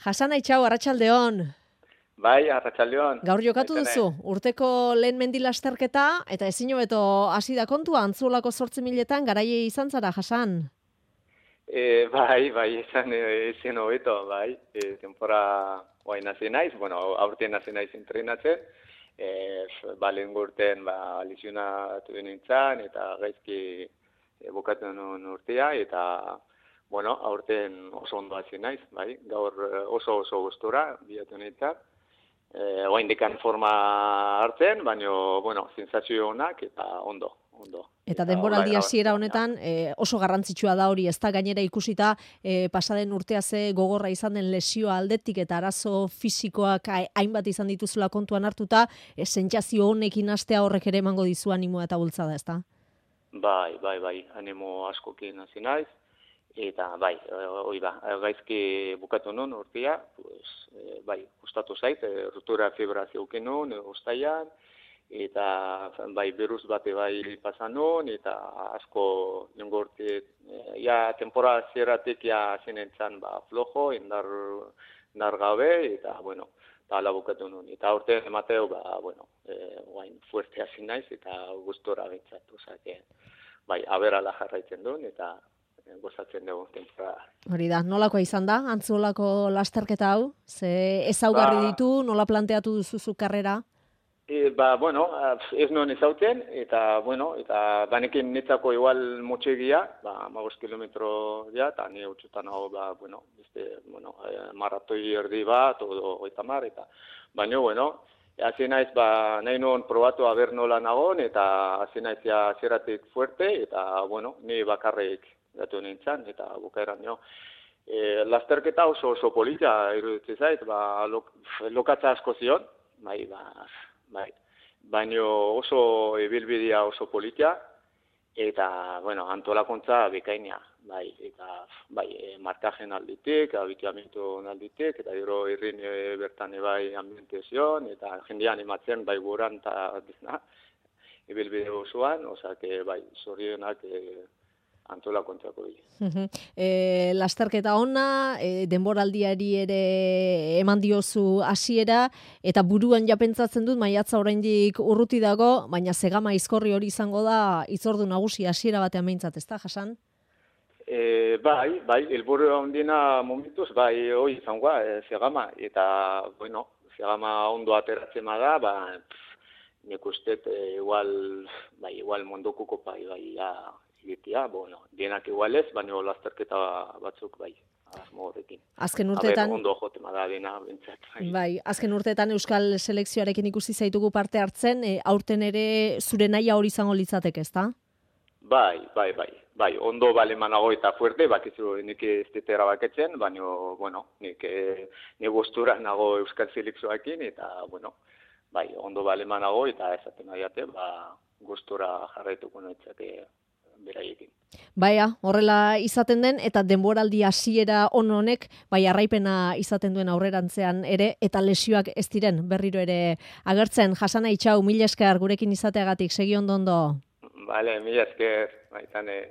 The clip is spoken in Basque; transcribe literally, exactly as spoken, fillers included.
Hasan Aitxau, arratsaldeon. Bai, arratsaldeon. Gaur jokatu duzu, urteko lehen mendi lasterketa, eta ezin hobeto hasi da kontua, Antzolako zortzi miletan garaile izan zara, Hasan. E, bai, bai, izan ezin hobeto, bai. E, tempora guain hasi naiz, bueno, aurten hasi naiz entrenatzen. E, balen gurten, ba, lesionatu nintzen, eta gaizki e, bukatu nuen urtea, eta bueno, aurten oso ondo hasi naiz, bai. Gaur oso oso gustura bilatu nintzen. Eh, Oaindikan forma hartzen, baina, bueno, sensazio onak eta ondo, ondo. Eta denboraldi hasiera honetan eh, oso garrantzitsua da hori, ez da gainera ikusita eh, pasaden urtea ze gogorra izan den lesioa aldetik eta arazo fisikoak hainbat izan dituzula kontuan hartuta, eh, sentsazio honekin hastea horrek ere emango dizu animoa eta bultzada, ezta? Bai, bai, bai, animo askokin hasi naiz. Eta bai, hori da, gaizki bukatu nuen urtea, pues, e, bai, gustatu zait, e, ruptura fibra zeuken nuen, ustaian, eta bai, virus bate bai pasan nuen, eta asko nengo urte, e, ja, temporada zeratik ja zinentzan, ba, flojo, indar, indar gabe, eta, bueno, eta ala bukatu nuen. Eta urte emateo, ba, bueno, e, guain fuerte hasi naiz, eta gustora bintzat, osake, bai, aberala jarraitzen duen, eta gozatzen dugu temporada. Hori da, nolakoa izan da, Antzolako lasterketa hau? Ze ezaugarri ba, ditu, nola planteatu duzu karrera? E, ba, bueno, ez nuen ezauten, eta, bueno, eta banekin netzako igual motxegia, ba, magos kilometro ja, eta ni utzutan hau, ba, bueno, beste, bueno, maratoi erdi bat, odo, oita mar, eta, baina, bueno, hasi naiz, ba, nahi nuen probatu aber nola nagon, eta hasi naiz ja zeratik fuerte, eta, bueno, ni bakarrik gatu nintzen, eta bukaeran jo. E, lasterketa oso oso polita iruditzen zait, ba, lok, lokatza asko zion, bai, ba, bai, baino oso ibilbidea oso polita, eta, bueno, antolakuntza bikainia, bai, eta, bai, e, markajen alditik, abituamentu alditik, eta gero irrin e, bertan bai ambiente zion, eta jendea animatzen, bai, guran, eta, dizna, ibilbide osoan, osea, bai, zorionak, e, Antola kontrako bile. Uh-huh. E, lasterketa ona, e, denboraldiari ere eman diozu hasiera eta buruan ja pentsatzen dut maiatza oraindik urruti dago, baina Zegama Aizkorri hori izango da hitzordu nagusi hasiera batean behintzat, ezta, Hasan? E, bai, bai, helburu handiena momentuz, bai, hori izango e, Zegama, eta, bueno, Zegama ondo ateratzen da, ba, nik uste, e, igual, bai, igual munduko kopa, bai, ja, egitea, bueno, dienak igualez, baina lasterketa batzuk bai, asmo horrekin. Azken urteetan, ondo jotema da dena, bintzat. Bai. bai, azken urteetan Euskal Selekzioarekin ikusi zaitugu parte hartzen, e, aurten ere zure nahia hori izango litzateke, ezta? Bai, bai, bai, bai, ondo balemanago eta fuerte, bakizu nik ez ditera baketzen, baina, bueno, nik ne gustura nago Euskal Selekzioarekin, eta, bueno, bai, ondo balemanago eta esaten nahiate, ba, gustura jarraituko noitzake beraiekin. Baia, horrela izaten den, eta denboraldi hasiera on honek, bai arraipena izaten duen aurrerantzean ere, eta lesioak ez diren berriro ere agertzen. Hasan Aitxau, mila esker gurekin izateagatik, segi ondo ondo. Bale, mila esker, baitane.